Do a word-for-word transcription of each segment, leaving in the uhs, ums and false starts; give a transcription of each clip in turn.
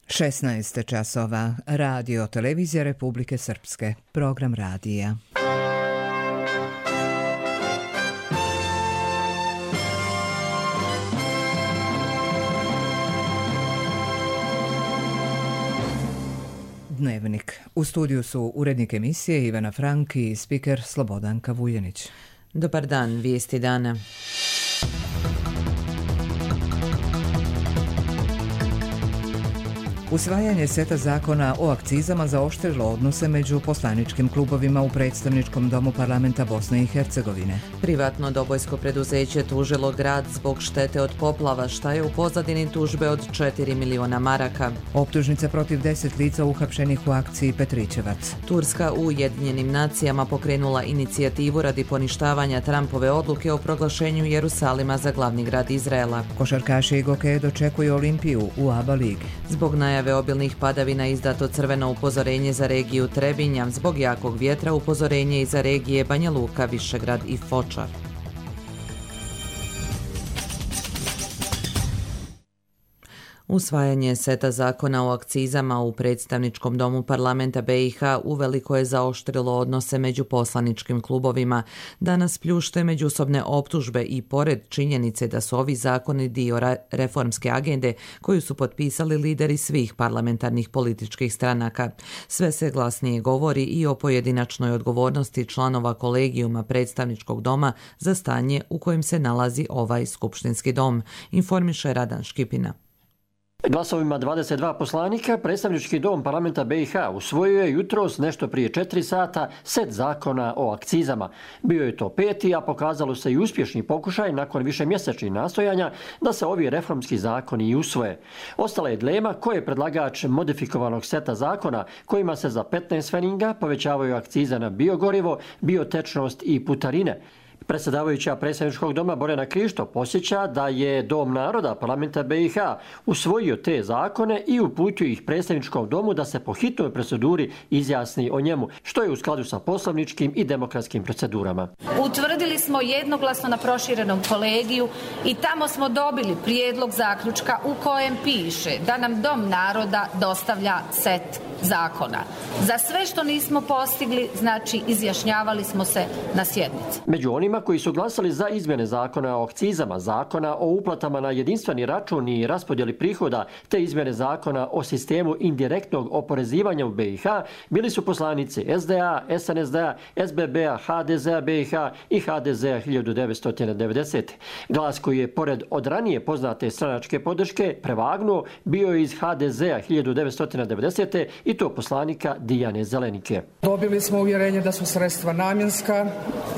šesnaest časova. Radio Televizija Republike Srpske. Program radija. Dnevnik. U studiju su urednik emisije Ivana Frank i spiker Slobodanka Vuljanić. Dobar dan, vijesti dana. Usvajanje seta zakona o akcizama zaoštrilo odnose među poslaničkim klubovima u predstavničkom domu parlamenta Bosne i Hercegovine. Privatno dobojsko preduzeće tužilo grad zbog štete od poplava, šta je u pozadini tužbe od četiri miliona maraka. Optužnica protiv deset lica uhapšenih u akciji Petrićevac. Turska u Ujedinjenim nacijama pokrenula inicijativu radi poništavanja Trumpove odluke o proglašenju Jerusalima za glavni grad Izraela. Košarkaši Goke dočekuju Olimpiju u ABA ligi. Zbog najave obilnih padavina izdato crveno upozorenje za regiju Trebinja, zbog jakog vjetra upozorenje i za regije Banja Luka, Višegrad i Fočar. Usvajanje seta zakona o akcizama u predstavničkom domu parlamenta B i H uveliko je zaoštrilo odnose među poslaničkim klubovima. Danas pljušte međusobne optužbe i pored činjenice da su ovi zakoni dio reformske agende koju su potpisali lideri svih parlamentarnih političkih stranaka. Sve se glasnije govori i o pojedinačnoj odgovornosti članova kolegijuma predstavničkog doma za stanje u kojem se nalazi ovaj skupštinski dom, informiše Radan Škipina. Glasovima dvadeset dva poslanika, predstavnički dom parlamenta B i H usvojio je jutros nešto prije četiri sata set zakona o akcizama. Bio je to peti, a pokazalo se i uspješni pokušaj nakon višemjesečnih nastojanja da se ovi reformski zakoni i usvoje. Ostala je dilema ko je predlagač modifikovanog seta zakona kojima se za petnaest pfenninga povećavaju akcize na biogorivo, biotečnost i putarine. Predsjedavajuća predstavničkog doma Borjana Krišto posjeća da je Dom naroda parlamenta B i H usvojio te zakone i uputio ih predstavničkom domu da se po hitnoj proceduri izjasni o njemu, što je u skladu sa poslovničkim i demokratskim procedurama. Utvrdili smo jednoglasno na proširenom kolegiju i tamo smo dobili prijedlog zaključka u kojem piše da nam Dom naroda dostavlja set zakona. Za sve što nismo postigli, znači izjašnjavali smo se na sjednici. Među onima koji su glasali za izmjene zakona o akcizama, zakona o uplatama na jedinstveni račun i raspodjeli prihoda, te izmjene zakona o sistemu indirektnog oporezivanja u B i H, bili su poslanici S D A, S N S D-a, S B B-a, H D Z-a B i H i H D Z-a hiljadu devetsto devedesete. Glas koji je, pored od ranije poznate stranačke podrške, prevagnuo, bio je iz H D Z-a hiljadu devetsto devedesete i to poslanika Dijane Zelenike. Dobili smo uvjerenje da su sredstva namjenska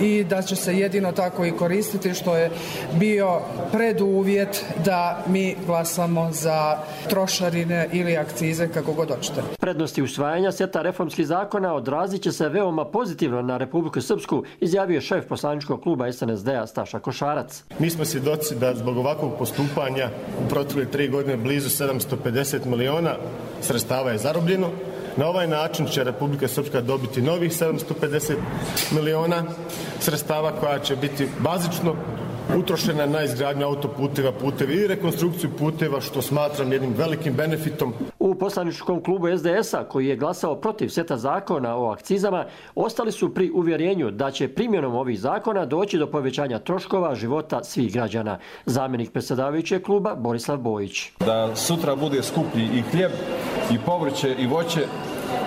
i da će se jedino tako i koristiti, što je bio preduvjet da mi glasamo za trošarine ili akcize, kako god hoćete. Prednosti usvajanja seta reformskih zakona odrazit će se veoma pozitivno na Republiku Srpsku, izjavio šef poslaničkog kluba S N S D-a Staša Košarac. Mi smo svjedoci da zbog ovakvog postupanja u protekle tri godine blizu sedamsto pedeset miliona sredstava je zarobljeno. Na ovaj način će Republika Srpska dobiti novih sedamsto pedeset miliona sredstava koja će biti bazično utrošena na izgradnju autoputeva, putevi i rekonstrukciju puteva, što smatram jednim velikim benefitom. U poslaničkom klubu S D S-a, koji je glasao protiv seta zakona o akcizama, ostali su pri uvjerenju da će primjenom ovih zakona doći do povećanja troškova života svih građana. Zamjenik predsjedavajućeg kluba Borislav Bojić. Da sutra bude skuplji i hljeb, i povrće, i voće,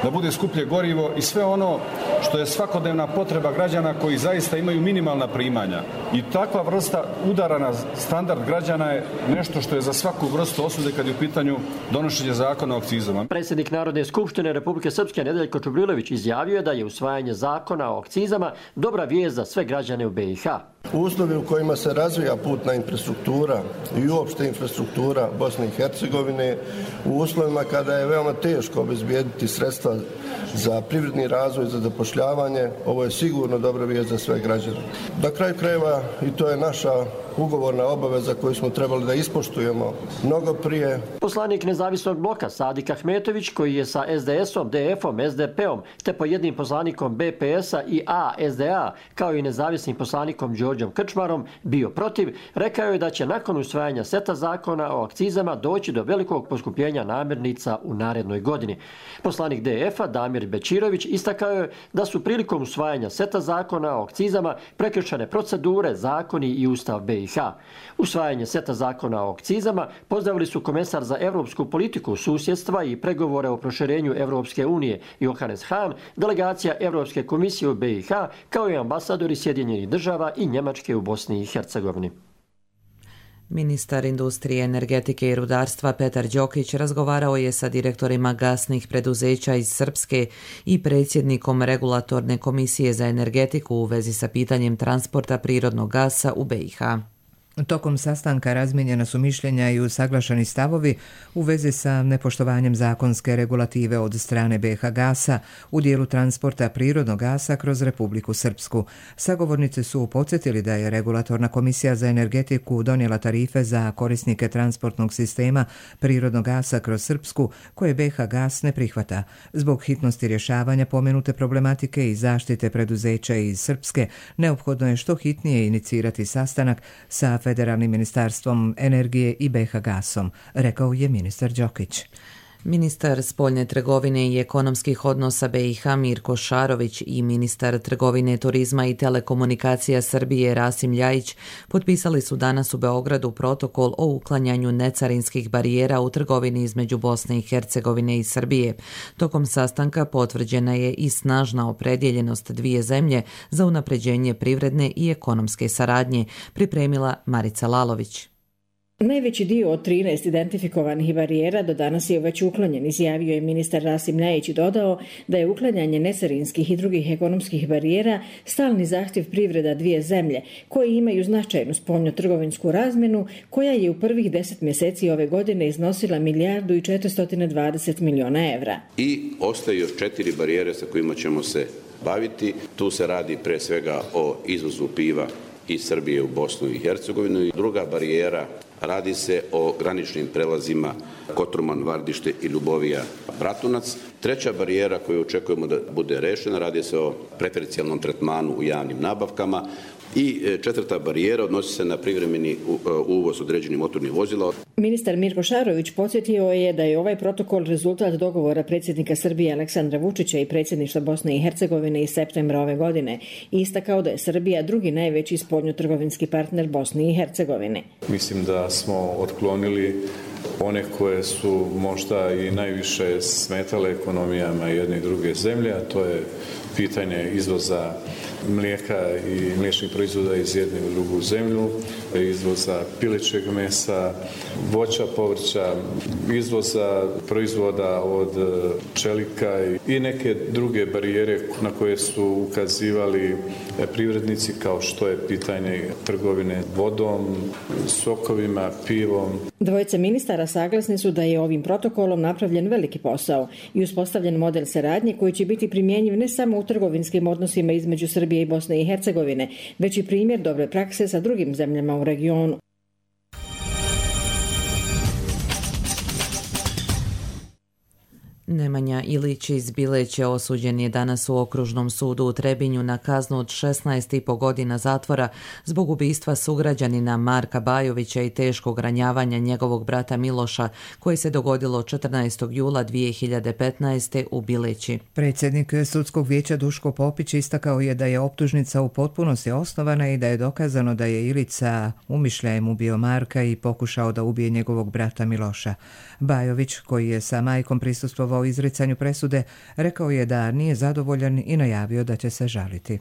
da bude skuplje gorivo i sve ono što je svakodnevna potreba građana koji zaista imaju minimalna primanja. I takva vrsta udara na standard građana je nešto što je za svaku vrstu osude kad je u pitanju donošenje zakona o akcizama. Predsjednik Narodne skupštine Republike Srpske Nedeljko Čubrilović izjavio je da je usvajanje zakona o akcizama dobra vijest za sve građane u B i H. Uslovi u kojima se razvija putna infrastruktura i uopšte infrastruktura Bosne i Hercegovine, u uslovima kada je veoma teško obezbijediti sredstva za privredni razvoj, za zapošljavanje, ovo je sigurno dobra vijest za sve građane. Na kraju krajeva, i to je naša ugovorna obaveza koju smo trebali da ispoštujemo mnogo prije. Poslanik Nezavisnog bloka Sadik Ahmetović, koji je sa es de esom, de efom, es de peom, te po jednim poslanikom be pe esa i a es de a, kao i nezavisnim poslanikom Đorđom Krčmarom, bio protiv, rekao je da će nakon usvajanja seta zakona o akcizama doći do velikog poskupljenja namirnica u narednoj godini. Poslanik de efa Damir Bećirović istakao je da su prilikom usvajanja seta zakona o akcizama prekršene procedure, zakoni i ustav be i ha. Usvajanje seta zakona o akcizama pozdravili su komesar za evropsku politiku, susjedstva i pregovore o proširenju Evropske unije Johannes Hahn, delegacija Evropske komisije u be i ha, kao i ambasadori Sjedinjenih država i Njemačke u Bosni i Hercegovini. Ministar industrije, energetike i rudarstva Petar Đokić razgovarao je sa direktorima gasnih preduzeća iz Srpske i predsjednikom Regulatorne komisije za energetiku u vezi sa pitanjem transporta prirodnog gasa u be i ha. Tokom sastanka razmijenjena su mišljenja i usaglašeni stavovi u vezi sa nepoštovanjem zakonske regulative od strane be ha gasa u dijelu transporta prirodnog gasa kroz Republiku Srpsku. Sagovornici su podsjetili da je Regulatorna komisija za energetiku donijela tarife za korisnike transportnog sistema prirodnog gasa kroz Srpsku, koje be ha gas ne prihvata. Zbog hitnosti rješavanja pomenute problematike i zaštite preduzeća iz Srpske, neophodno je što hitnije inicirati sastanak sa Federalnim ministarstvom energije i be ha gasom, rekao je ministar Đokić. Ministar spoljne trgovine i ekonomskih odnosa be i ha Mirko Šarović i ministar trgovine, turizma i telekomunikacija Srbije Rasim Ljajić potpisali su danas u Beogradu protokol o uklanjanju necarinskih barijera u trgovini između Bosne i Hercegovine i Srbije. Tokom sastanka potvrđena je i snažna opredjeljenost dvije zemlje za unapređenje privredne i ekonomske saradnje, pripremila Marica Lalović. Najveći dio od trinaest identifikovanih barijera do danas je već uklonjen, izjavio je ministar Rasim Ljajić i dodao da je uklanjanje necarinskih i drugih ekonomskih barijera stalni zahtjev privreda dvije zemlje, koje imaju značajnu spoljno-trgovinsku razmjenu, koja je u prvih deset mjeseci ove godine iznosila milijardu i četiristo dvadeset miliona evra. I ostaju još četiri barijere sa kojima ćemo se baviti. Tu se radi pre svega o izvozu piva iz Srbije u Bosnu i Hercegovinu. I druga barijera, radi se o graničnim prelazima Kotorman, Vardište i Ljubovija, Bratunac. Treća barijera koju očekujemo da bude rešena, radi se o preferencijalnom tretmanu u javnim nabavkama. I četvrta barijera odnosi se na privremeni uvoz određenih motornih vozila. Ministar Mirko Šarović podsjetio je da je ovaj protokol rezultat dogovora predsjednika Srbije Aleksandra Vučića i predsjedništva Bosne i Hercegovine iz septembra ove godine. Istakao da je Srbija drugi najveći spoljno-trgovinski partner Bosne i Hercegovine. Mislim da smo otklonili one koje su možda i najviše smetale ekonomijama jedne i druge zemlje, a to je pitanje izvoza mlijeka i mliječnih proizvoda iz jedne u drugu zemlju, izvoza pilećeg mesa, voća, povrća, izvoza proizvoda od čelika i neke druge barijere na koje su ukazivali privrednici, kao što je pitanje trgovine vodom, sokovima, pivom. Dvojica ministara saglasni su da je ovim protokolom napravljen veliki posao i uspostavljen model saradnje koji će biti primjenjiv ne samo u trgovinskim odnosima između Srbije i Bosne i Hercegovine, već i primjer dobre prakse sa drugim zemljama u regionu. Nemanja Ilić iz Bileće osuđen je danas u Okružnom sudu u Trebinju na kaznu od šesnaest i po godina zatvora zbog ubistva sugrađanina Marka Bajovića i teškog ranjavanja njegovog brata Miloša, koje se dogodilo četrnaestog jula dvije hiljade petnaeste. u Bileći. Predsjednik sudskog vijeća Duško Popić istakao je da je optužnica u potpunosti osnovana i da je dokazano da je Ilić sa umišljajem ubio Marka i pokušao da ubije njegovog brata Miloša. Bajović, koji je sa majkom prisustvovao izricanju presude, rekao je da nije zadovoljan i najavio da će se žaliti.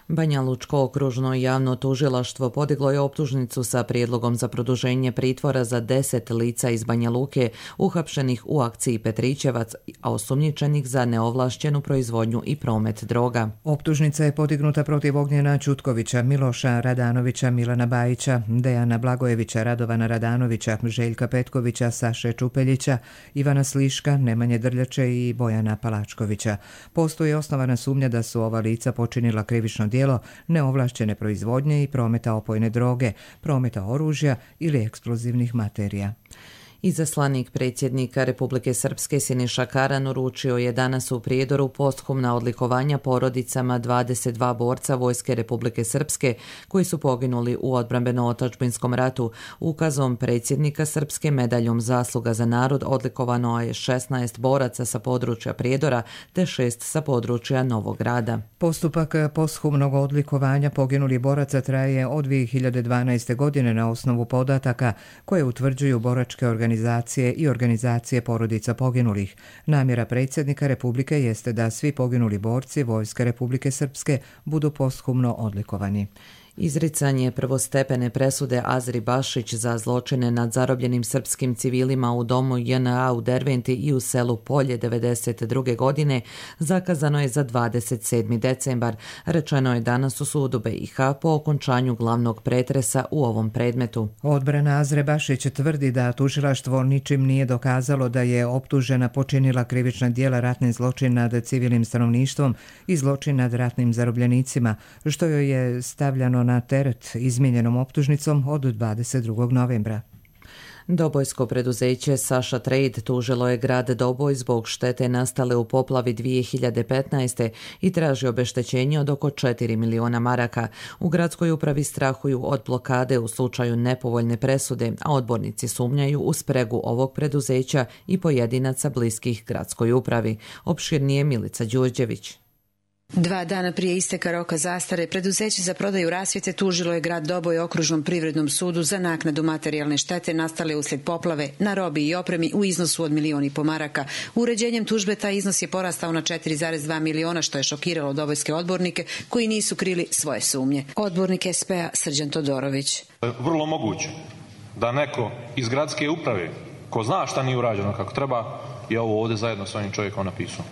Banja Lučko okružno javno tužilaštvo podiglo je optužnicu sa prijedlogom za produženje pritvora za deset lica iz Banja Luke uhapšenih u akciji Petrićevac, a osumnjičenih za neovlašćenu proizvodnju i promet droga. Optužnica je podignuta protiv Ognjena Čutkovića, Miloša Radanovića, Milana Bajića, Dejana Blagojevića, Radovana Radanovića, Željka Petkovića, Saše Čupeljića, Ivana Sliška, Nemanje Drljače i Bojana Palačkovića. Postoji osnovana sumnja da su ova lica počinila krivično djelo neovlašćene proizvodnje i prometa opojne droge, prometa oružja ili eksplozivnih materija. Izaslanik predsjednika Republike Srpske Siniša Karan uručio je danas u Prijedoru posthumna odlikovanja porodicama dvadeset dva borca Vojske Republike Srpske koji su poginuli u odbrambeno-otadžbinskom ratu. Ukazom predsjednika Srpske medaljom Zasluga za narod odlikovano je šesnaest boraca sa područja Prijedora te šest sa područja Novog Grada. Postupak posthumnog odlikovanja poginulih boraca traje od dvije hiljade dvanaeste. godine na osnovu podataka koje utvrđuju boračke organizacije organizacije i organizacije porodica poginulih. Namjera predsjednika Republike jeste da svi poginuli borci Vojske Republike Srpske budu posthumno odlikovani. Izricanje prvostepene presude Azri Bašić za zločine nad zarobljenim srpskim civilima u domu J N A u Derventi i u selu Polje devedeset druge. godine zakazano je za dvadeset sedmi decembar. Rečeno je danas u sudu B i H po okončanju glavnog pretresa u ovom predmetu. Odbrana Azre Bašić tvrdi da tužilaštvo ničim nije dokazalo da je optužena počinila krivična djela ratni zločin nad civilnim stanovništvom i zločin nad ratnim zarobljenicima, što joj je stavljano na teret izmijenjenom optužnicom od dvadeset drugog novembra. Dobojsko preduzeće Saša Trade tužilo je grad Doboj zbog štete nastale u poplavi dvije hiljade petnaeste. i traži obeštećenje od oko četiri miliona maraka. U gradskoj upravi strahuju od blokade u slučaju nepovoljne presude, a odbornici sumnjaju u spregu ovog preduzeća i pojedinaca bliskih gradskoj upravi. Opširnije Milica Đurđević. Dva dana prije isteka roka zastare, preduzeće za prodaju rasvjete tužilo je grad Doboj okružnom privrednom sudu za naknadu materijalne štete nastale uslijed poplave na robi i opremi u iznosu od milion i po maraka. Uređenjem tužbe taj iznos je porastao na četiri zarez dva miliona, što je šokiralo dobojske odbornike koji nisu krili svoje sumnje. Odbornik S P A Srđan Todorović. Vrlo moguće da neko iz gradske uprave, ko zna šta nije urađeno kako treba, je ovo ovdje zajedno s ovim čovjekom napisao.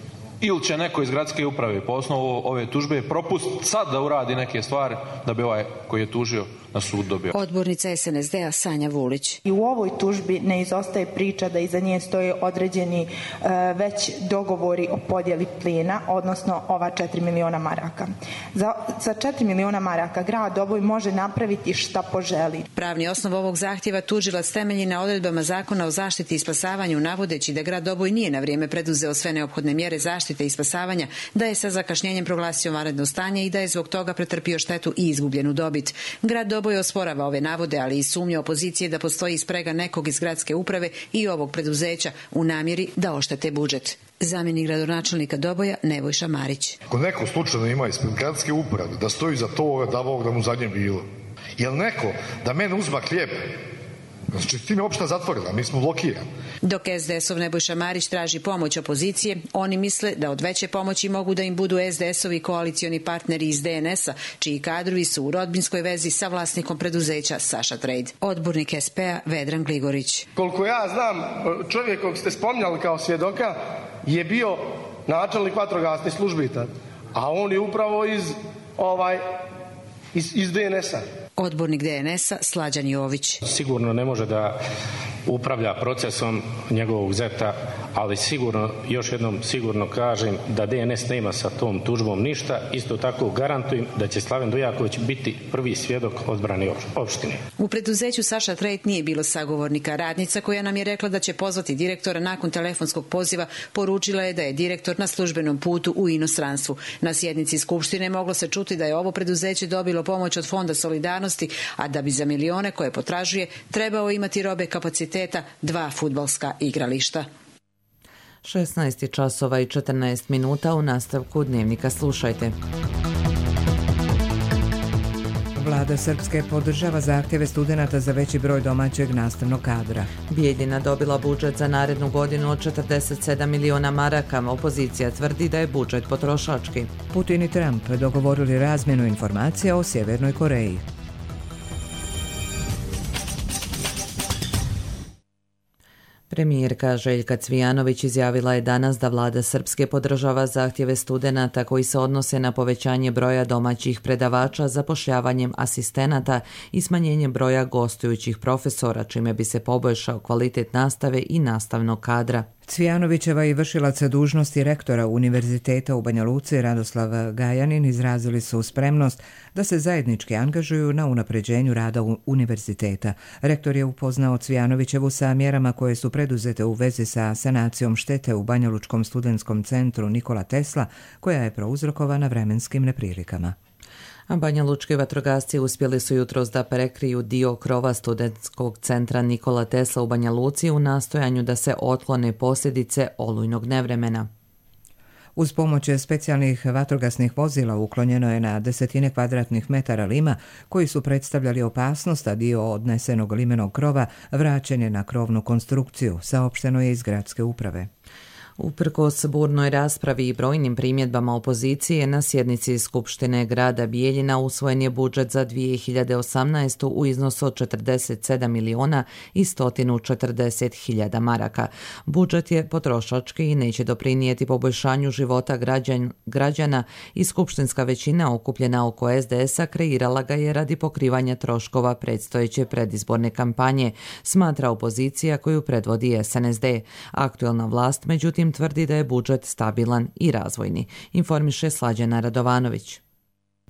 Ili će neko iz gradske uprave po osnovu ove tužbe propustiti sad da uradi neke stvari da bi ovaj koji je tužio na sud dobio. Odbornica S N S D A Sanja Vulić. I u ovoj tužbi ne izostaje priča da iza nje stoje određeni uh, već dogovori o podjeli plina, odnosno ova četiri miliona maraka. Za, za četiri miliona maraka grad Doboj može napraviti šta poželi. Pravni osnov ovog zahtjeva tužilac temelji na odredbama Zakona o zaštiti i spasavanju, navodeći da grad Doboj nije na vrijeme preduzeo sve neophodne mjere zaštite i spasavanja, da je sa zakašnjenjem proglasio vanredno stanje i da je zbog toga pretrpio štetu i izgubljenu dobit. Grad Doboj osporava ove navode, ali i sumnja opozicije da postoji sprega nekog iz gradske uprave i ovog preduzeća u namjeri da oštete budžet. Zamjenik gradonačelnika Doboja Nebojša Marić. Ako neko slučajno ima ispred gradske uprave da stoji za to da Bog da mu zadnje bilo, jel neko da mene uzma hljeb? Znači, tim je opšta zatvorila, mi smo blokirani. Dok S D S-ov Nebojša Marić traži pomoć opozicije, oni misle da od veće pomoći mogu da im budu S D S-ovi koalicioni partneri iz D N S-a, čiji kadrovi su u rodbinskoj vezi sa vlasnikom preduzeća Saša Trade. Odbornik S P A Vedran Gligorić. Koliko ja znam, čovjek kog ste spominjali kao svjedoka je bio načelnik vatrogasnih službi, a on je upravo iz, ovaj, iz, iz D N S-a. Odbornik D N S-a Slađan Jović. Sigurno ne može da upravlja procesom njegovog zeta, ali sigurno, još jednom sigurno kažem da D N S nema sa tom tužbom ništa. Isto tako garantujem da će Slaven Dujaković biti prvi svjedok odbrane opštine. U preduzeću Saša Trade nije bilo sagovornika. Radnica koja nam je rekla da će pozvati direktora nakon telefonskog poziva poručila je da je direktor na službenom putu u inostranstvu. Na sjednici skupštine moglo se čuti da je ovo preduzeće dobilo pomoć od Fonda solidarnosti, a da bi za milione koje potražuje trebao imati robe kapaciteta dva fudbalska igrališta. šesnaest časova i četrnaest minuta. U nastavku Dnevnika slušajte. Vlada Srpske podržava zahtjeve studenata za veći broj domaćeg nastavnog kadra. Bijeljina dobila budžet za narednu godinu od četrdeset sedam miliona maraka. Opozicija tvrdi da je budžet potrošački. Putin i Trump dogovorili razmjenu informacija o Sjevernoj Koreji. Premijerka Željka Cvijanović izjavila je danas da vlada Srpske podržava zahtjeve studenata koji se odnose na povećanje broja domaćih predavača, zapošljavanjem asistenata i smanjenjem broja gostujućih profesora, čime bi se poboljšao kvalitet nastave i nastavnog kadra. Cvijanovićeva i vršilac dužnosti rektora Univerziteta u Banja Luci Radoslav Gajanin izrazili su spremnost da se zajednički angažuju na unapređenju rada univerziteta. Rektor je upoznao Cvijanovićevu sa mjerama koje su preduzete u vezi sa sanacijom štete u Banjalučkom studentskom centru Nikola Tesla, koja je prouzrokovana vremenskim neprilikama. A banjalučki vatrogasci uspjeli su jutros da prekriju dio krova studentskog centra Nikola Tesla u Banja Luci u nastojanju da se otklone posljedice olujnog nevremena. Uz pomoć specijalnih vatrogasnih vozila uklonjeno je na desetine kvadratnih metara lima koji su predstavljali opasnost, a dio odnesenog limenog krova vraćen je na krovnu konstrukciju, saopšteno je iz gradske uprave. Uprkos burnoj raspravi i brojnim primjedbama opozicije, na sjednici Skupštine grada Bijeljina usvojen je budžet za dvije hiljade osamnaestu. u iznosu od četrdeset sedam miliona i sto četrdeset hiljada maraka. Budžet je potrošački i neće doprinijeti poboljšanju života građan, građana i skupštinska većina okupljena oko es de es a kreirala ga je radi pokrivanja troškova predstojeće predizborne kampanje, smatra opozicija koju predvodi es en es de. Aktualna vlast, međutim, tvrdi da je budžet stabilan i razvojni, informiše Slađana Radovanović.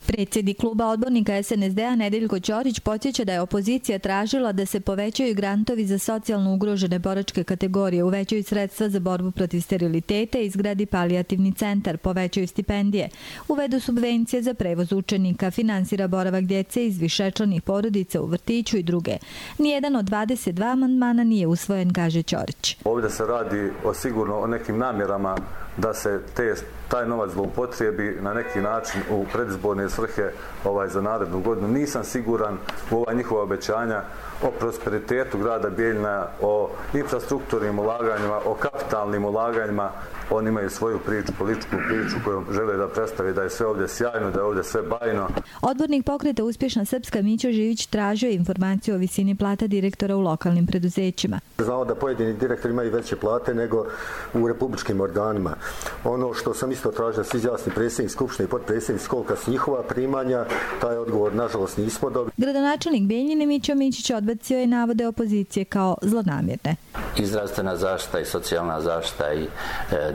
Predsjednik kluba odbornika es en es de a Nedeljko Ćorić podsjeća da je opozicija tražila da se povećaju grantovi za socijalno ugrožene boračke kategorije, uvećaju sredstva za borbu protiv steriliteta, izgradi palijativni centar, povećaju stipendije, uvedu subvencije za prevoz učenika, finansira boravak djece iz višečlanih porodica u vrtiću i druge. Nijedan od dvadeset dva amandmana nije usvojen, kaže Ćorić. Ovdje se radi o sigurno o nekim namjerama da se te, taj novac zloupotrijebi na neki način u predizborne svrhe ovaj, za narednu godinu. Nisam siguran u ova njihova obećanja o prosperitetu grada Bijeljina, o infrastrukturnim ulaganjima, o kapitalnim ulaganjima. Oni imaju svoju priču, političku priču koju žele da predstave da je sve ovdje sjajno, da je ovdje sve bajno. Odbornik pokreta Uspješna Srpska Mićo Živić tražio informaciju o visini plata direktora u lokalnim preduzećima. Znao da pojedini direktori imaju veće plate nego u republičkim organima. Ono što sam isto tražio da se izjasni predsjednik Skupštine i potpredsjednik kolika su njihova primanja, taj odgovor nažalost nismo dobili. Gradonačelnik Bijeljine Mićo Mićić odbacio je navode opozicije kao zlonamjerne. I zdravstvena zaštita i socijalna zaštita i e,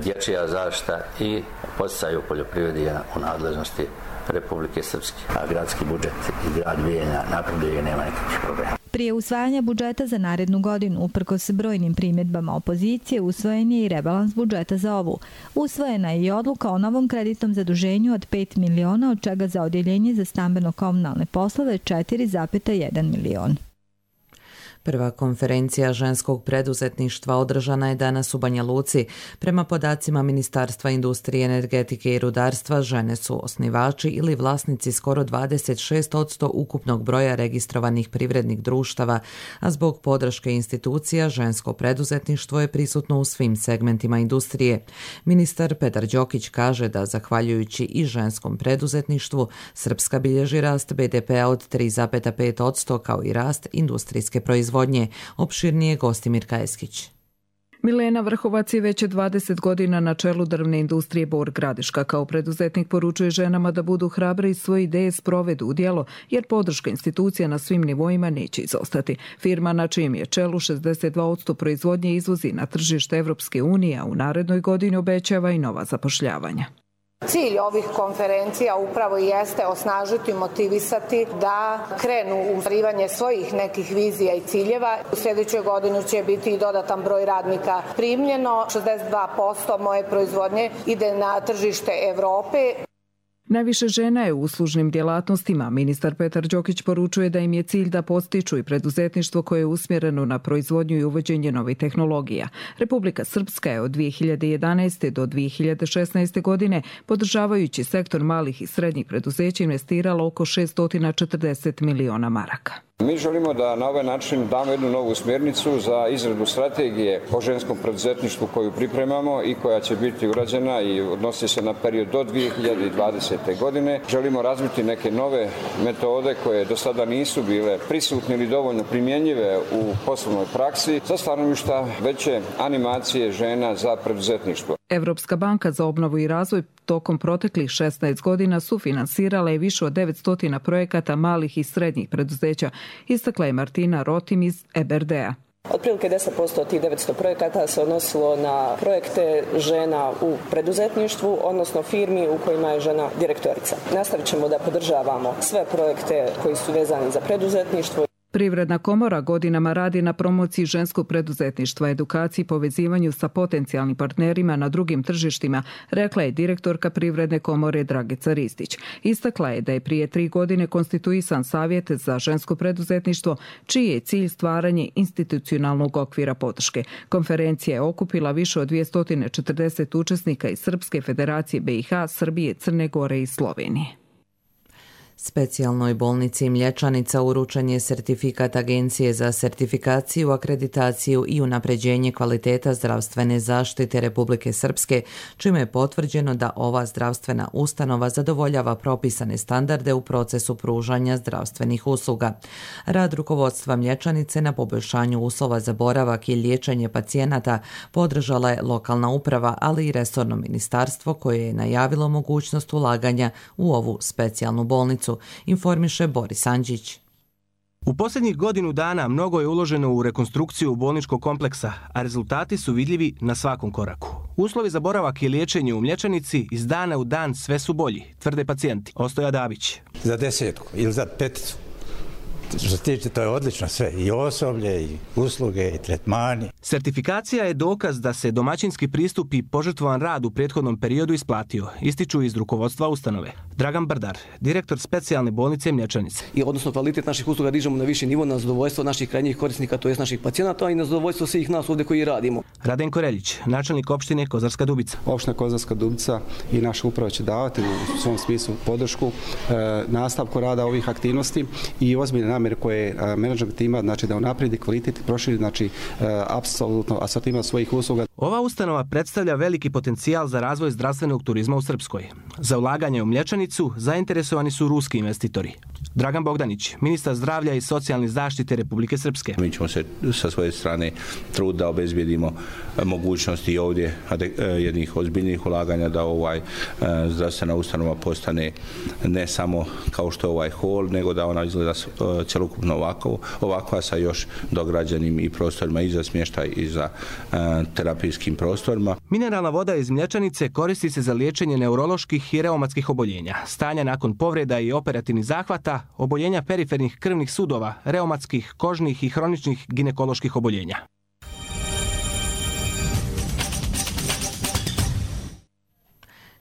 dječja zaštita i poticaj u poljoprivredi u nadležnosti Republike Srpske. A gradski budžet i grad Bijeljina napreduje i nema nekakvih problema. Prije usvajanja budžeta za narednu godinu, uprkos brojnim primjedbama opozicije, usvojen je i rebalans budžeta za ovu. Usvojena je i odluka o novom kreditnom zaduženju od pet miliona, od čega za odjeljenje za stambeno-komunalne poslove četiri zarez jedan milion. Prva konferencija ženskog preduzetništva održana je danas u Banja Luci. Prema podacima Ministarstva industrije, energetike i rudarstva, žene su osnivači ili vlasnici skoro dvadeset šest posto ukupnog broja registrovanih privrednih društava, a zbog podrške institucija žensko preduzetništvo je prisutno u svim segmentima industrije. Ministar Petar Đokić kaže da, zahvaljujući i ženskom preduzetništvu, Srpska bilježi rast be de pea od tri zarez pet posto kao i rast industrijske proizvodnje. Opširnije Gostimir Kajeskić. Milena Vrhovac je već dvadeset godina na čelu drvne industrije Bor Gradiška. Kao preduzetnik poručuje ženama da budu hrabre i svoje ideje sprovedu u djelo, jer podrška institucija na svim nivoima neće izostati. Firma na čijem je čelu šezdeset dva posto proizvodnje izvozi na tržište Evropske unije, a u narednoj godini obećava i nova zapošljavanja. Cilj ovih konferencija upravo jeste osnažiti, motivisati da krenu u ostvarivanje svojih nekih vizija i ciljeva. U sljedećoj godini će biti i dodatan broj radnika primljeno. šezdeset dva posto moje proizvodnje ide na tržište Evrope. Najviše žena je u uslužnim djelatnostima. Ministar Petar Đokić poručuje da im je cilj da postiču i preduzetništvo koje je usmjereno na proizvodnju i uvođenje novih tehnologija. Republika Srpska je od dvije hiljade jedanaeste. do dvije hiljade šesnaeste. godine, podržavajući sektor malih i srednjih preduzeća, investirala oko šesto četrdeset miliona maraka. Mi želimo da na ovaj način damo jednu novu smjernicu za izradu strategije o ženskom preduzetništvu koju pripremamo i koja će biti urađena i odnosi se na period do dvije hiljade dvadesete. godine. Želimo razviti neke nove metode koje do sada nisu bile prisutne ili dovoljno primjenjive u poslovnoj praksi za stanovišta veće animacije žena za preduzetništvo. Evropska banka za obnovu i razvoj tokom proteklih šesnaest godina sufinansirala je više od devetsto projekata malih i srednjih preduzeća, istakla je Martina Rotim iz E B R D-a. Otprilike deset posto od tih devetsto projekata se odnosilo na projekte žena u preduzetništvu, odnosno firmi u kojima je žena direktorica. Nastavit ćemo da podržavamo sve projekte koji su vezani za preduzetništvo. Privredna komora godinama radi na promociji ženskog preduzetništva, edukaciji i povezivanju sa potencijalnim partnerima na drugim tržištima, rekla je direktorka Privredne komore Dragica Ristić. Istakla je da je prije tri godine konstituisan savjet za žensko preduzetništvo, čiji je cilj stvaranje institucionalnog okvira podrške. Konferencija je okupila više od dvjesto četrdeset učesnika iz Srpske Federacije B i H, Srbije, Crne Gore i Slovenije. Specijalnoj bolnici Mlječanica uručen je sertifikat Agencije za sertifikaciju, akreditaciju i unapređenje kvaliteta zdravstvene zaštite Republike Srpske, čime je potvrđeno da ova zdravstvena ustanova zadovoljava propisane standarde u procesu pružanja zdravstvenih usluga. Rad rukovodstva Mlječanice na poboljšanju uslova za boravak i liječenje pacijenata podržala je lokalna uprava, ali i resorno ministarstvo koje je najavilo mogućnost ulaganja u ovu specijalnu bolnicu, informiše Boris Andžić. U posljednjih godinu dana mnogo je uloženo u rekonstrukciju bolničkog kompleksa, a rezultati su vidljivi na svakom koraku. Uslovi za boravak i liječenje u Mlječanici iz dana u dan sve su bolji, tvrde pacijenti. Ostoja Dabić. Za desetku ili za peticu. Što se tiče, to je odlično sve, i osoblje, i usluge, i tretmani. Sertifikacija je dokaz da se domaćinski pristup i požrtvovan rad u prethodnom periodu isplatio, ističu iz rukovodstva ustanove. Dragan Brdar, direktor specijalne bolnice Mlječanice. I odnosno kvalitet naših usluga dižemo na viši nivo, na zadovoljstvo naših krajnjih korisnika, to jest naših pacijenata, i na zadovoljstvo svih nas ovdje koji radimo. Radenko Reljić, načelnik opštine Kozarska Dubica. Opština Kozarska Dubica i naša uprava će davati u svom smislu podršku e, nastavku rada ovih aktivnosti i ozbiljne namjere koje menadžment ima, znači da unaprijedi kvalitet i proširi, znači apsolutno asortiman svojih usluga. Ova ustanova predstavlja veliki potencijal za razvoj zdravstvenog turizma u Srpskoj. Za ulaganje u Mlječanicu zainteresovani su ruski investitori. Dragan Bogdanić, ministar zdravlja i socijalne zaštite Republike Srpske. Mi ćemo se sa svoje strane trud da obezbijedimo mogućnosti ovdje jednih ozbiljnih ulaganja, da ovaj zdravstvena ustanova postane ne samo kao što je ovaj hol, nego da ona izgleda cjelokupno ovako, ovakva sa još dograđenim i prostorima i za smještaj i za terapijskim prostorima. Mineralna voda iz Mlječanice koristi se za liječenje neuroloških i reumatskih oboljenja, stanja nakon povreda i operativnih zahvata, oboljenja perifernih krvnih sudova, reumatskih, kožnih i hroničnih ginekoloških oboljenja.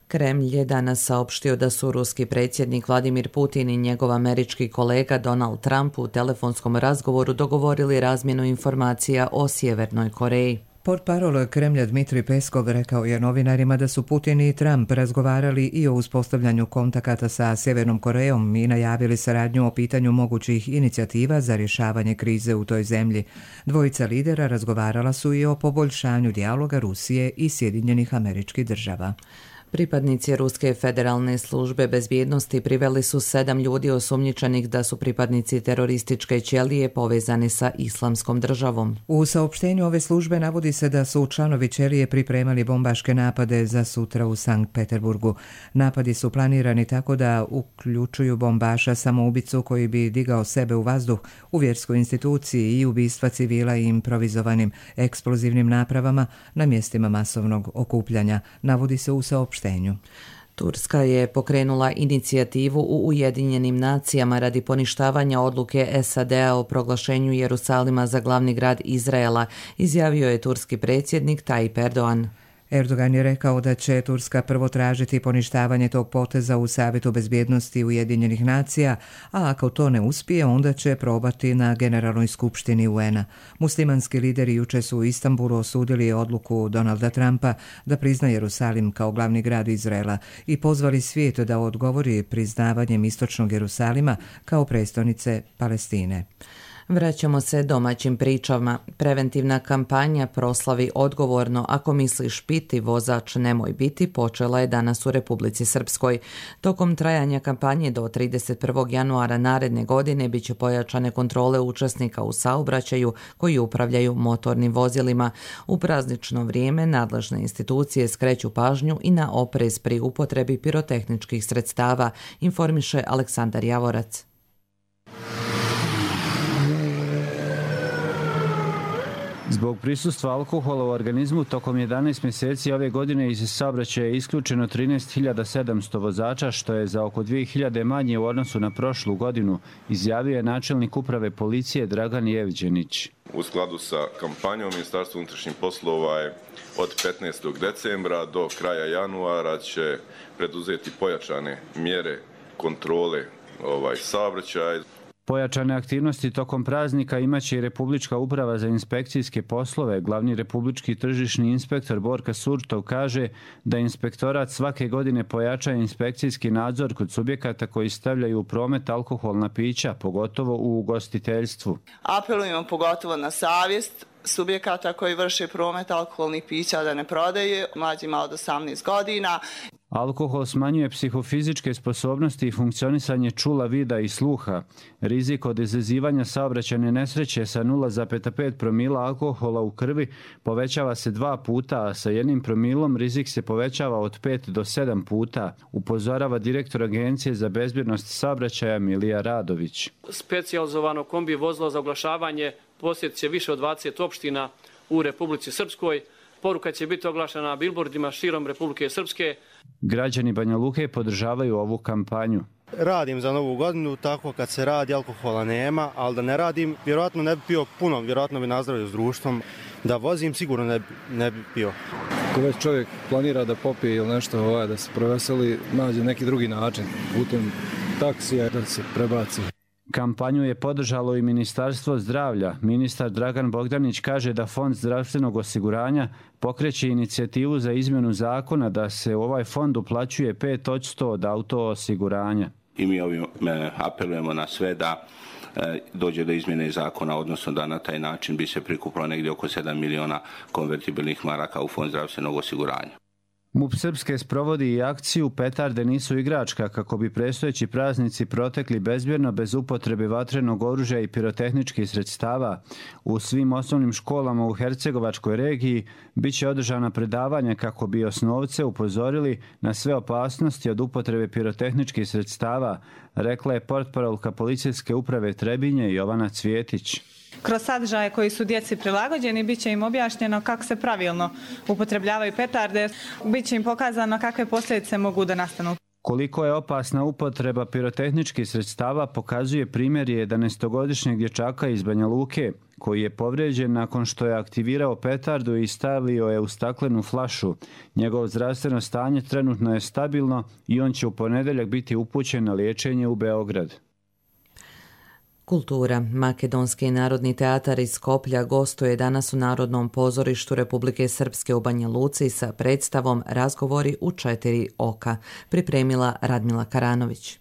Kremlj je danas saopštio da su ruski predsjednik Vladimir Putin i njegov američki kolega Donald Trump u telefonskom razgovoru dogovorili razmjenu informacija o Sjevernoj Koreji. Portparol Kremlja Dmitrij Peskov rekao je novinarima da su Putin i Trump razgovarali i o uspostavljanju kontakata sa Sjevernom Korejom i najavili saradnju o pitanju mogućih inicijativa za rješavanje krize u toj zemlji. Dvojica lidera razgovarala su i o poboljšanju dijaloga Rusije i Sjedinjenih Američkih Država. Pripadnici Ruske federalne službe bezbjednosti priveli su sedam ljudi osumnjičenih da su pripadnici terorističke ćelije povezani sa Islamskom državom. U saopštenju ove službe navodi se da su članovi ćelije pripremali bombaške napade za sutra u Sankt Peterburgu. Napadi su planirani tako da uključuju bombaša samoubicu koji bi digao sebe u vazduh u vjerskoj instituciji i ubistva civila i improvizovanim eksplozivnim napravama na mjestima masovnog okupljanja, navodi se u saopštenju. Turska je pokrenula inicijativu u Ujedinjenim nacijama radi poništavanja odluke S A D-a o proglašenju Jerusalima za glavni grad Izraela, izjavio je turski predsjednik Tayyip Erdogan. Erdogan je rekao da će Turska prvo tražiti poništavanje tog poteza u Savjetu bezbjednosti Ujedinjenih nacija, a ako to ne uspije, onda će probati na Generalnoj skupštini U N-a. Muslimanski lideri juče su u Istanbulu osudili odluku Donalda Trumpa da prizna Jerusalim kao glavni grad Izraela i pozvali svijet da odgovori priznavanjem istočnog Jerusalima kao prestonice Palestine. Vraćamo se domaćim pričama. Preventivna kampanja Proslavi odgovorno, ako misliš piti, vozač nemoj biti, počela je danas u Republici Srpskoj. Tokom trajanja kampanje do trideset prvog januara naredne godine biće pojačane kontrole učesnika u saobraćaju koji upravljaju motornim vozilima. U praznično vrijeme nadležne institucije skreću pažnju i na oprez pri upotrebi pirotehničkih sredstava, informiše Aleksandar Javorac. Zbog prisustva alkohola u organizmu tokom jedanaest mjeseci ove godine iz saobraćaja je isključeno trinaest hiljada sedamsto vozača, što je za oko dvije hiljade manje u odnosu na prošlu godinu, izjavio je načelnik uprave policije Dragan Jevđenić. U skladu sa kampanjom Ministarstva unutrašnjih poslova je od petnaestog decembra do kraja januara će preduzeti pojačane mjere kontrole ovaj saobraćaja. Pojačane aktivnosti tokom praznika imaće i Republička uprava za inspekcijske poslove. Glavni republički tržišni inspektor Borka Surtov kaže da inspektorat svake godine pojača inspekcijski nadzor kod subjekata koji stavljaju u promet alkoholna pića, pogotovo u ugostiteljstvu. Apelujemo pogotovo na savjest subjekata koji vrše promet alkoholnih pića da ne prodaje mlađima od osamnaest godina. Alkohol smanjuje psihofizičke sposobnosti i funkcionisanje čula, vida i sluha. Rizik od izazivanja saobraćajne nesreće sa nula zarez pet promila alkohola u krvi povećava se dva puta, a sa jednim promilom rizik se povećava od pet do sedam puta, upozorava direktor Agencije za bezbjednost saobraćaja Milija Radović. Specijalizovano kombi vozilo za oglašavanje posjetit će više od dvadeset opština u Republici Srpskoj. Poruka će biti oglašena na bilbordima širom Republike Srpske. Građani Banja Luke podržavaju ovu kampanju. Radim za novu godinu, tako kad se radi alkohola nema, ali da ne radim, vjerojatno ne bi pio puno, vjerojatno bi nazdravio s društvom. Da vozim, sigurno ne, ne bi pio. Ako već čovjek planira da popije ili nešto, ovaj, da se proveseli, nađe neki drugi način, putem taksija da se prebaci. Kampanju je podržalo i Ministarstvo zdravlja. Ministar Dragan Bogdanić kaže da Fond zdravstvenog osiguranja pokreće inicijativu za izmjenu zakona da se u ovaj fond uplaćuje pet posto od auto osiguranja. I mi ovim apelujemo na sve da dođe do izmjene zakona, odnosno da na taj način bi se prikupilo negdje oko sedam miliona konvertibilnih maraka u Fond zdravstvenog osiguranja. MUP Srpske sprovodi i akciju Petarde nisu igračka kako bi predstojeći praznici protekli bezbjedno bez upotrebe vatrenog oružja i pirotehničkih sredstava. U svim osnovnim školama u Hercegovačkoj regiji bit će održana predavanja kako bi osnovce upozorili na sve opasnosti od upotrebe pirotehničkih sredstava, rekla je portparolka policijske uprave Trebinje Jovana Cvjetić. Kroz sadržaje koji su djeci prilagođeni bit će im objašnjeno kako se pravilno upotrebljavaju petarde, bit će im pokazano kakve posljedice mogu da nastanu. Koliko je opasna upotreba pirotehničkih sredstava pokazuje primjer jedanaestogodišnjeg dječaka iz Banja Luke, koji je povrijeđen nakon što je aktivirao petardu i stavio je u staklenu flašu. Njegovo zdravstveno stanje trenutno je stabilno i on će u ponedjeljak biti upućen na liječenje u Beograd. Kultura. Makedonski narodni teatar iz Skoplja gostuje danas u Narodnom pozorištu Republike Srpske u Banja Luci sa predstavom Razgovori u četiri oka, pripremila Radmila Karanović.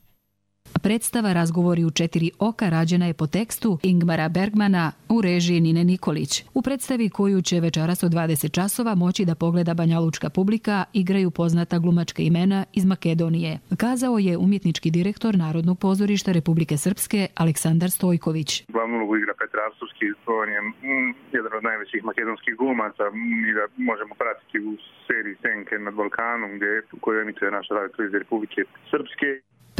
Predstava Razgovori u četiri oka rađena je po tekstu Ingmara Bergmana u režiji Nine Nikolić. U predstavi koju će večeras od dvadeset časova moći da pogleda banjalučka publika igraju poznata glumačka imena iz Makedonije. Kazao je umjetnički direktor Narodnog pozorišta Republike Srpske Aleksandar Stojković. Glavnu ulogu igra Petar Arsovski, on je mm, jedan od najvećih makedonskih glumaca i da možemo pratiti u seriji Senke nad Balkanom gdje koju emituje naša radio Republike Srpske.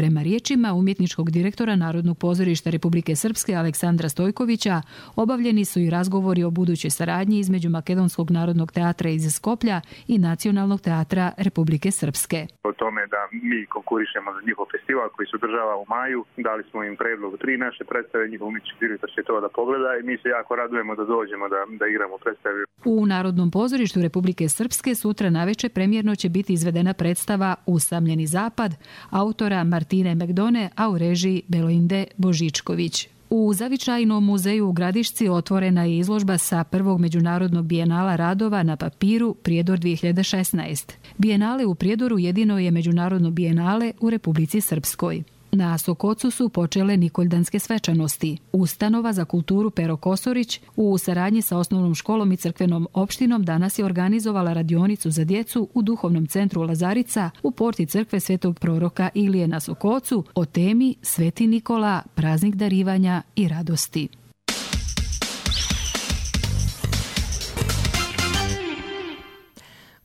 Prema riječima umjetničkog direktora Narodnog pozorišta Republike Srpske Aleksandra Stojkovića, obavljeni su i razgovori o budućoj saradnji između Makedonskog narodnog teatra iz Skoplja i Nacionalnog teatra Republike Srpske. O tome da mi konkurišemo za njihov festival koji se održava u maju, dali smo im predlog tri naše predstave, njihov umjetnički direktor će to da pogleda i mi se jako radujemo da dođemo da, da igramo predstave. U Narodnom pozorištu Republike Srpske sutra naveče premjerno će biti izvedena predstava Usamljeni zapad autora Martine Megdone, a u režiji Beloinde Božičković. U Zavičajnom muzeju u Gradišci otvorena je izložba sa prvog međunarodnog bijenala radova na papiru Prijedor dvije hiljade šesnaest. Bijenale u Prijedoru jedino je međunarodno bijenale u Republici Srpskoj. Na Sokocu su počele Nikoljdanske svečanosti. Ustanova za kulturu Pero Kosorić u saradnji sa osnovnom školom i crkvenom opštinom danas je organizovala radionicu za djecu u duhovnom centru Lazarica u porti crkve Svetog proroka Ilije na Sokocu o temi Sveti Nikola, praznik darivanja i radosti.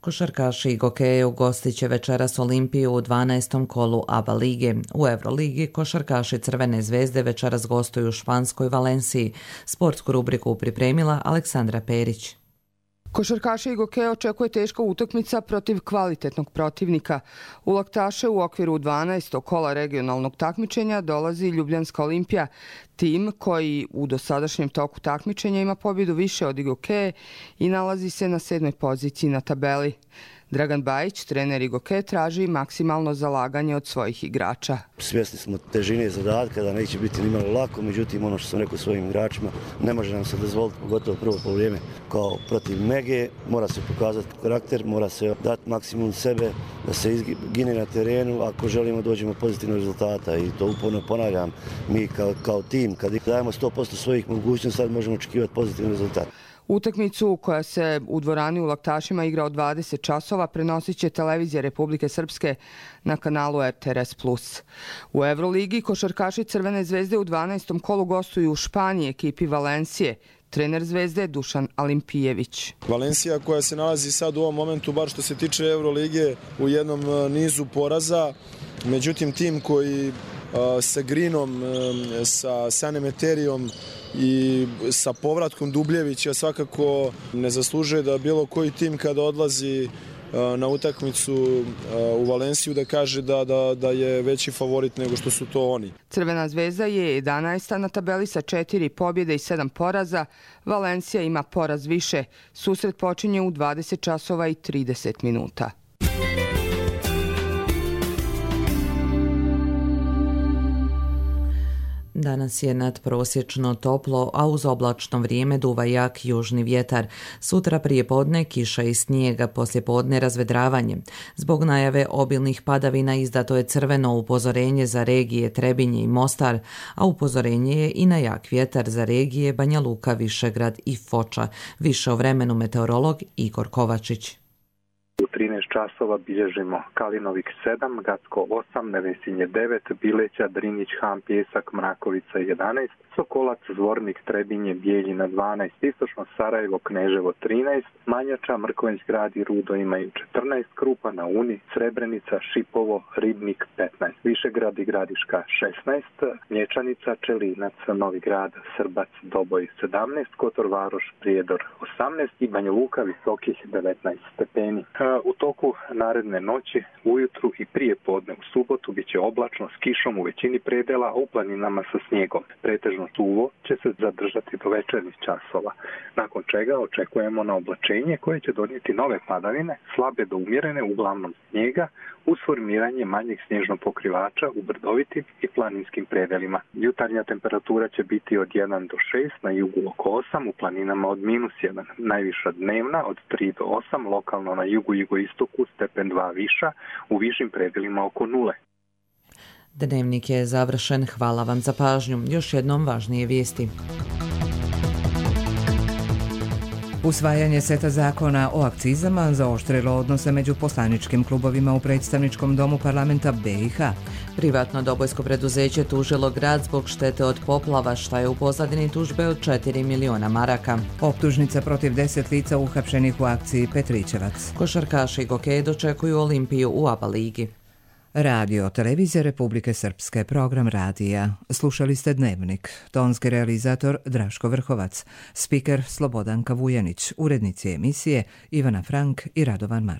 Košarkaši i gokeje ugostit će večeras Olimpiju u dvanaestom kolu A B A lige. U Euroligi košarkaši Crvene zvezde večeras gostuju u španskoj Valenciji. Sportsku rubriku pripremila Aleksandra Perić. Košarkaše i gokeje očekuje teška utakmica protiv kvalitetnog protivnika. U laktaše u okviru dvanaestog kola regionalnog takmičenja dolazi Ljubljanska Olimpija, tim koji u dosadašnjem toku takmičenja ima pobjedu više od gokeje i nalazi se na sedmoj poziciji na tabeli. Dragan Bajić, trener Igoke, traži maksimalno zalaganje od svojih igrača. Svjesni smo težine zadatka da neće biti nimalo lako, međutim ono što sam rekao svojim igračima, ne može nam se dozvoliti, pogotovo prvo poluvreme kao protiv Mege, mora se pokazati karakter, mora se dati maksimum sebe, da se izgine na terenu ako želimo dođemo pozitivnog rezultata i to uporno ponavljam, mi kao, kao tim kad dajemo sto posto svojih mogućnosti sad možemo očekivati pozitivan rezultat. Utakmicu koja se u dvorani u Laktašima igra od dvadeset časova prenosit će televizija Republike Srpske na kanalu R T R S plus. U Euroligi košarkaši Crvene zvezde u dvanaestom kolu gostuju u Španiji ekipi Valencije. Trener Zvezde Dušan Alimpijević. Valencija koja se nalazi sad u ovom momentu, bar što se tiče Eurolige, u jednom nizu poraza. Međutim, tim koji sa Grinom, sa Sanem Eterijom i sa povratkom Dubljevića svakako ne zaslužuje da bilo koji tim kada odlazi na utakmicu u Valenciju da kaže da, da, da je veći favorit nego što su to oni. Crvena zvezda je jedanaesta na tabeli sa četiri pobjede i sedam poraza. Valencija ima poraz više. Susret počinje u dvadeset časova i trideset minuta. Danas je nadprosječno toplo, a uz oblačno vrijeme duva jak južni vjetar. Sutra prije podne kiša i snijega, poslije podne razvedravanje. Zbog najave obilnih padavina izdato je crveno upozorenje za regije Trebinje i Mostar, a upozorenje je i na jak vjetar za regije Banja Luka, Višegrad i Foča. Više o vremenu meteorolog Igor Kovačić. U trinaest časova bilježimo Kalinovik sedam, Gacko osam, Nevesinje devet, Bileća, Drinić, Ham, Pjesak, Mrakovica jedanaest, Sokolac, Zvornik, Trebinje, Bijeljina dvanaest, Istočno Sarajevo, Kneževo trinaest, Manjača, Mrkvenjsk grad i Rudo imaju četrnaest, Krupa na Uni, Srebrenica, Šipovo, Ribnik petnaest, Višegrad i Gradiška šesnaest, Mlječanica, Čelinac, Novi grad, Srbac, Doboj sedamnaest, Kotor Varoš, Prijedor osamnaest i Banja Luka Visokih devetnaest stepeni. U toku naredne noći, ujutru i prije podne u subotu bit će oblačno s kišom u većini predela, a u planinama sa snijegom. Pretežno suvo će se zadržati do večernjih časova, nakon čega očekujemo na oblačenje koje će donijeti nove padavine, slabe do umjerene, uglavnom snijega, uz formiranje manjeg snježnog pokrivača u brdovitim i planinskim predelima. Jutarnja temperatura će biti od jedan do šest, na jugu oko osam, u planinama od minus jedan. Najviša dnevna od tri do osam, lokalno na jugu i jugoistoku stepen dva viša, u višim predelima oko nule. Dnevnik je završen. Hvala vam za pažnju. Još jednom važnije vijesti. Usvajanje seta zakona o akcizama zaoštrilo odnose među poslaničkim klubovima u predstavničkom domu parlamenta B i H. Privatno dobojsko preduzeće tužilo grad zbog štete od poplava, šta je u pozadini tužbe od četiri miliona maraka. Optužnica protiv deset lica uhapšenih u akciji Petričevac. Košarkaši i gokeji dočekuju Olimpiju u A B A ligi. Radio Televizija Republike Srpske, program radija. Slušali ste Dnevnik. Tonski realizator Draško Vrhovac. Spiker Slobodanka Vujanić. Urednici emisije Ivana Frank i Radovan Martin.